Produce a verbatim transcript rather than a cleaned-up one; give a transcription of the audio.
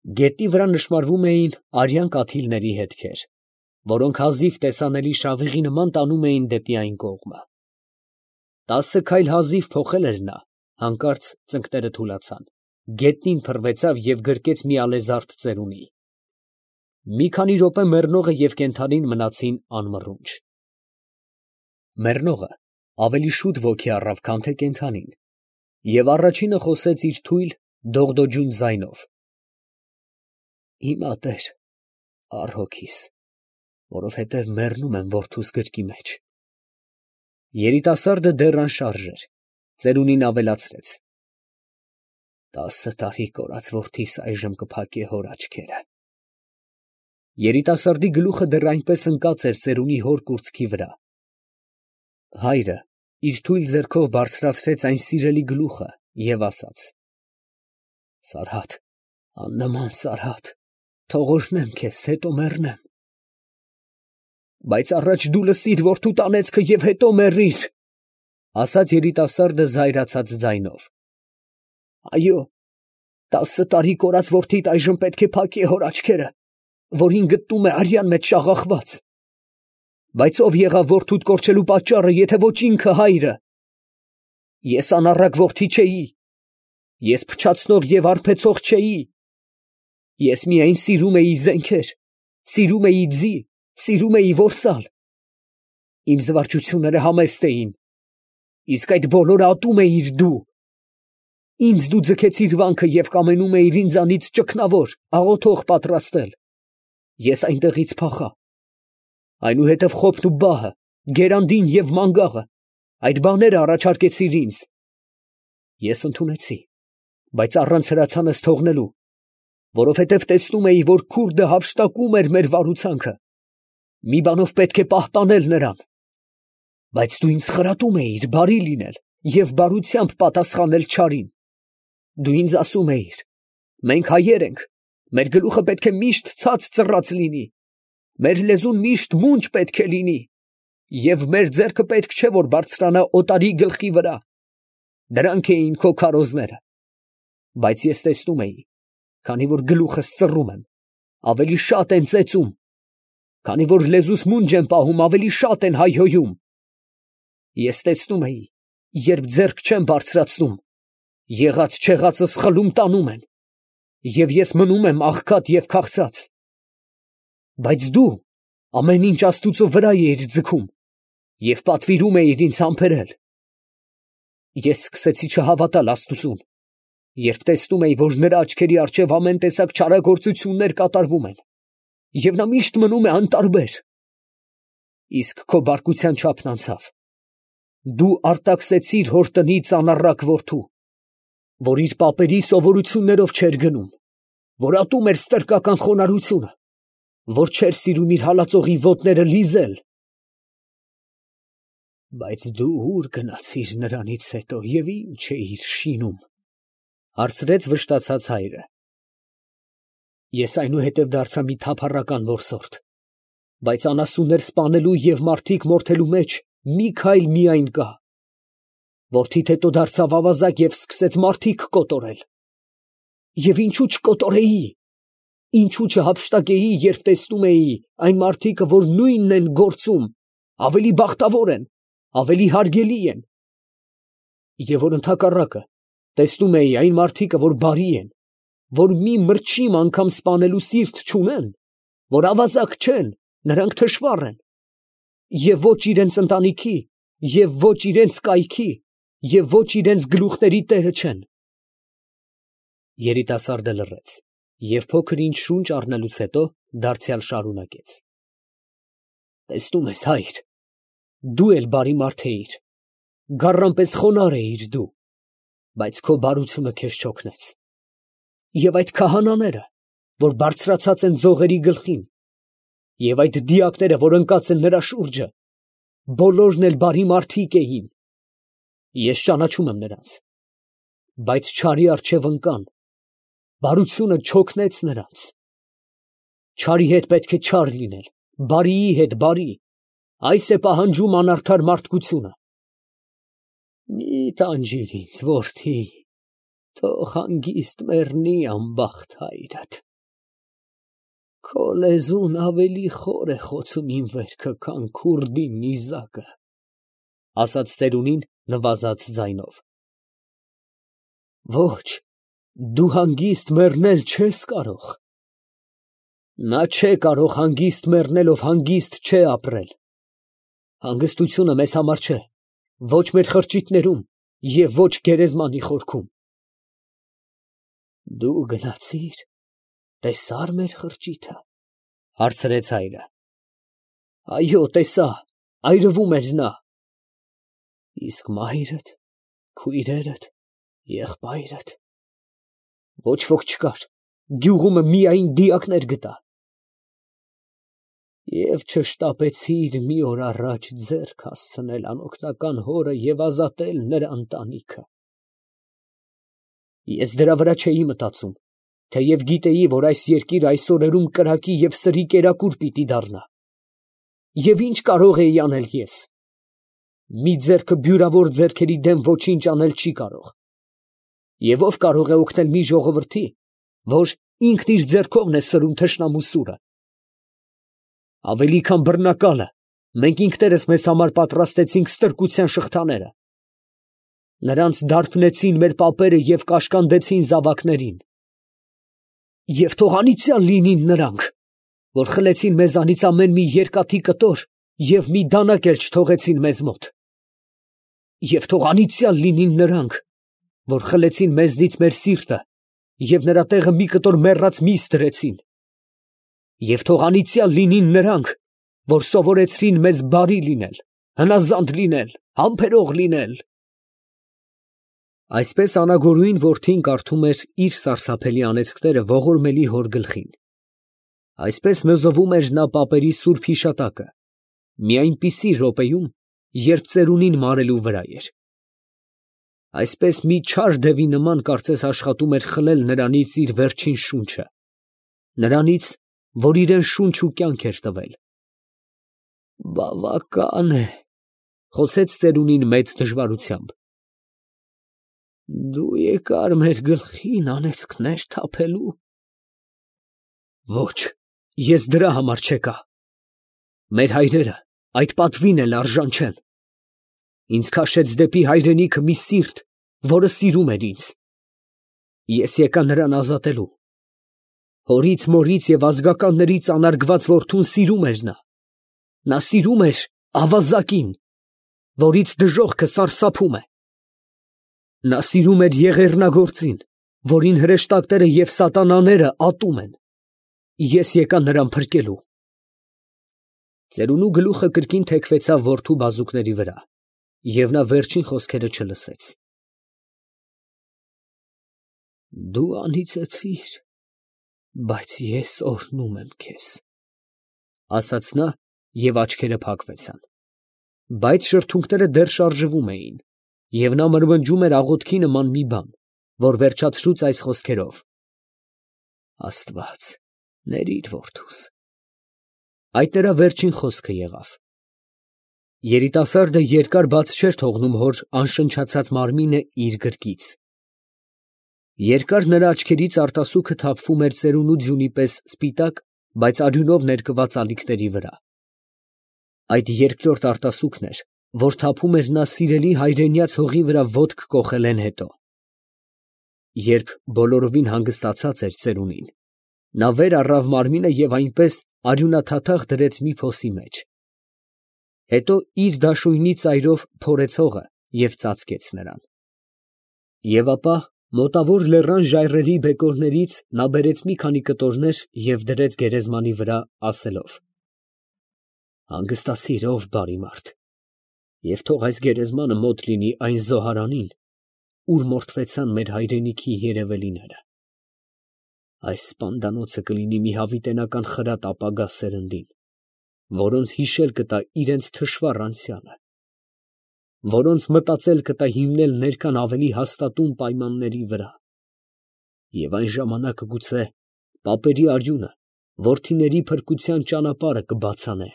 Գետնի վրա նշմարվում էին արյան կաթիլների հետքեր, որոնք հազիվ տեսանելի շավիղի նման տանում էին դեպի այն կողմը։ Տասը քայլ հազիվ փոխել էր նա, հանկարծ ծնկները թուլացան, գետնին փռվեցավ և գրկեց մի ալեզարդ ծերունի։ Մի քանի րոպե մեռնողը և կենդանին մնացին անմռունչ։ Մեռնողը ավելի շուտ ոգի առավ, քան թե կենդանին, և առաջինը խոսեց իր թույլ, դողդոջուն ձայնով. «Հիմա, տեր, առ հոգիս, որովհետև մեռնում եմ որդուս գրկի մեջ»։ Երիտասարդը դեռ անշարժ էր, ծերունին ավելացրեց. «Տասը տարի կորած որդիս այժմ կփակե հոր աչքերը»։ Երիտասարդի գլուխը դեռ այնպես ընկած էր ծերունի հոր կուրծքի վրա։ Հայրը իր թույլ ձեռքով բարձրացրեց այն սիրելի գլուխը և ասաց. «Սարհատ, աննման Սարհատ, թող օրհնեմ քեզ, հետո մեռնեմ»։ «Բայց առաջ դու լսիր որդուդ անեծքը և հետո մեռիր», ֊ ասաց երիտասարդը զայրացած ձայնով։ «Այո, տասը տարի կորած որդիդ այժմ պետք է փակե հոր աչքերը, որին գտնում է արյան մեջ շաղախված։ Բայց ո՞վ եղավ որդուդ կորչելու պատճառը, եթե ոչ ինքը հայրը։ Ես անառակ որդի չէի, ես փչացնող և արբեցող չէի, ես միայն սիրում էի զենքեր, սիրում էի ձի, սիրում էի որսալ։ Իմ զվարճությունները համեստ էին, իսկ այդ բոլորը ատում էիր դու։ Ինձ դու ձգեցիր վանքը և կամենում էիր ինձանից ճգնավոր, աղոթող պատրաստել։ Ես այնտեղից փախա։ Այնուհետև խոփն ու բահը, գերանդին և մանգաղը, այդ բաները առաջարկեցիր ինձ։ Ես ընդունեցի, բայց առանց հրացանս թողնելու, որովհետև տեսնում էի, որ քուրդը հափշտակում էր մեր վարուցանքը, մի բանով պետք է պահպանել նրան։ Բայց դու ինձ խրատում էիր բարի լինել և բարությամբ պատասխանել չարին։ Դու ինձ ասում էիր. «Մենք հայեր ենք, մեր գլուխը պետք է միշտ ցած ծռած լինի, մեր լեզուն միշտ մունջ պետք է լինի, և մեր ձեռքը պետք չէ, որ բարձրանա օտարի գլխի վրա։ Դրանք էին քո քարոզները։ Բայց ես տեսնում էի, քանի որ գլուխս ծռում եմ, ավելի շատ են ծեծում, քանի որ լեզուս մունջ եմ պահում, ավելի շատ են հայհոյում։ Ես տեսնում էի, երբ ձեռք չեմ բարձրացնում, եղած֊չեղածս խլում տանում են, և ես մնում եմ աղքատ և քաղցած։ Բայց դու ամեն ինչ աստուծո վրա էիր ձգում և պատվիրում էիր ինձ համբերել։ Ես սկսեցի չհավատալ աստուծուն, երբ տեսնում էի, որ նրա աչքերի առջև ամեն տեսակ չարագործություններ կատարվում են, և նա միշտ մնում է անտարբեր։ Իսկ քո բարկության չափն անցավ. դու արտաքսեցիր հոր տնից անառակ որդու, որ իր պապերի սովորություններով չէր գնում, որ ատում էր ստրկական խոնարհությունը, որ չէր սիրում իր հալածողի ոտները լիզել։ Բայց դու ո՞ւր գնացիր նրանից հետո և ի՞նչ էիր շինում, ֊ հարցրեց վշտացած հայրը։ Ես այնուհետև դարձա մի թափառական որսորդ, բայց անասուններ սպանելու և մարդիկ մորթելու մեջ մի քայլ միայն կա։ Որդիդ հետո դարձավ ավազակ և սկսեց մարդիկ կոտորել։ Եվ ինչո՞ւ չկոտորեի, ինչո՞ւ չհափշտակեի, երբ տեսնում էի այն մարդիկը, որ նույնն են գործում, ավելի բախտավոր են, ավելի հարգելի են։ Եվ որ ընդհակառակը տեսնում էի այն մարդիկը, որ բարի են, որ մի մրջիմ անգամ սպանելու սիրտ չունեն, որ ավազակ չեն, նրանք թշվառ են, և ոչ իրանց ընտանիքի, և ոչ իրանց կայքի, և ոչ իրանց գլուխների տերը չեն։ Երիտասարդը լռեց և փոքր ինչ շունչ առնելուց հետո դարձյալ շարունակեց. Տեսնում ես, հայր, դու էլ բարի մարդ էիր, գառան պես խոնարհ էիր դու, բայց քո բարությունը քեզ չօգնեց։ Եվ այդ քահանաները, որ բարձրացած են ձողերի գլխին, և այդ դիակները, որ ընկած են նրա շուրջը, բոլորն էլ բարի մարդիկ էին։ Ես ճանաչում եմ նրանց, բայց չարի առջև ընկան, բարությունը չօգնեց նրանց։ Չարի հետ պետք է չար լինել, բարիի հետ բարի, այս է պահանջում անարդար մարդկությունը։ Մի տանջիր ինձ, որդի, թող հանգիստ մեռնի անբախտ հայրդ։ Քո լեզուն ավելի խոր է խոցում իմ վերքը, քան քուրդի նիզակը, ասաց ծերունին նվազած ձայնով։ Ոչ, դու հանգիստ մեռնել չես կարող։ Նա չէ կարող հանգիստ մեռնել, ով հանգիստ չէ ապրել։ Հանգստությունը մեզ համար չէ, ոչ մեր խրճիթներում և ոչ գերեզմանի խորքում։ Դու գնացի՞ր, տեսա՞ր մեր խրճիթը, հարցրեց հայրը։ Այո, տեսա, այրվում էր նա։ Իսկ մայրդ, քույրերդ, եղբայրդ։ Ոչ ոք չկար, գյուղումը միայն դիակներ գտա։ Եվ չշտապեցիր մի օր առաջ ձեռք հասցնել անօգնական հորը և ազատել նրա ընտանիքը։ Ես դրա վրա չէի մտածում, թեև գիտեի, որ այս երկիրը այս օրերում կրակի և սրի կերակուր պիտի դառնա։ Եվ ինչ կարող էի անել ես։ Մի ձեռքը բյուրավոր ձեռքերի դեմ ոչինչ անել չի կարող։ Եվ ով կարող է օգնել մի ժողովրդի, որ ինքն իր ձեռքովն է սրում թշնամու սուրը։ Ավելի քան բռնակալը, մենք ինքներս մեզ համար պատրաստեցինք ստրկության շղթաները։ Նրանց դարբնեցին մեր պապերը և կաշկանդեցին զավակներին։ Եվ թող անիծյալ լինին նրանք, որ խլեցին մեզանից ամեն մի երկաթի կտոր և մի դանակ էլ չթողեցին մեզ մոտ։ Եվ թող անիծյալ լինին նրանք, որ խլեցին մեզնից մեր սիրտը և նրա տեղը մի կտոր մեռած միս դրեցին։ Եվ թող անիծյալ լինին նրանք, որ սովորեցրին մեզ բարի լինել, հնազանդ լինել, համբերող լինել։ Այսպես անագորույն որդին կարդում էր իր սարսափելի անեծքները ողորմելի հոր գլխին։ Այսպես նզովում էր նա պապերի սուրբ հիշատակը, մի այնպիսի րոպեում, երբ ծերունին մարելու վրա էր։ Այսպես մի չար դևի նման կարծես աշխատում էր խլել նրանից իր վերջին շունչը, նրանից, որ իրան շունչ ու կյանք էր տվել։ Բավական է, խոսեց ծերունին մեծ դժվարությամբ։ Դու եկար մեր գլխին անեծքներ թափելու։ Ոչ, ես դրա համար չեկա։ Մեր հայրերը այդ պատվին էլ արժան չեն։ Ինձ քաշեց դեպի հայրենիքը մի սիրտ, որը սիրում էր ինձ։ Ես եկա նրան ազատելու։ Հորից, մորից և ազգականներից անարգված որդուն սիրում էր նա։ Նա սիրում էր ավազակին, որից դժոխքը սարսափում է։ Նա սիրում էր եղեռնագործին, որին հրեշտակները և սատանաները ատում են։ Ես եկա նրան փրկելու։ Ծերունու գլուխը կրկին թեքվեցավ որդու բազուկների վրա, և նա վերջին խոսքերը չլսեց։ Դու անիծեցիր, բայց ես օրհնում եմ քեզ, ասաց նա, և աչքերը փակվեցան։ Բայց շրթունքները դեռ շարժվում էին, և նա մրմնջում էր աղոթքի նման մի բան, որ վերջացրուց այս խոսքերով. Աստված, ների՜ր որդուս։ Այդ նրա վերջին խոսքը եղավ։ Երիտասարդը երկար բաց չէր թողնում հոր անշնչացած մարմինը իր գրկից։ Երկար նրա աչքերից արտասուքը թափվում էր ծերունու ձյունի պես սպիտակ, բայց արյունով ներկված ալիքների վրա։ Այդ երկրորդ արտասուքն էր, որ թափում էր նա սիրելի հայրենյաց հողի վրա ոտք կոխելեն հետո։ Երբ բոլորովին հանգստացած էր ծերունին, նա վեր առավ մարմինը և այնպես արյունաթաթախ դրեց մի փոսի մեջ։ Հետո իր դաշույնի ծայրով փորեց հողը և ծածկեց նրան։ Եվ ապա մոտավոր լեռան ժայռերի բեկորներից նա բերեց մի քանի կտորներ և դրեց գերեզմանի վրա, ասելով. Հանգստացի՛ր, ով բարի մարդ, և թող այս գերեզմանը մոտ լինի այն զոհարանին, ուր մորթվեցան մեր հայրենիքի երևելիները։ Այս սպանդանոցը կլինի մի հավիտենական խրատ ապագա սերնդին, որոնց հիշել կտա իրենց թշվառ անցյալը, որոնց մտածել կտա հիմնել ներկան ավելի հաստատուն պայմանների վրա, և այն ժամանակ գուցե պապերի արյունը որդիների փրկության ճանապարհը կբացանե։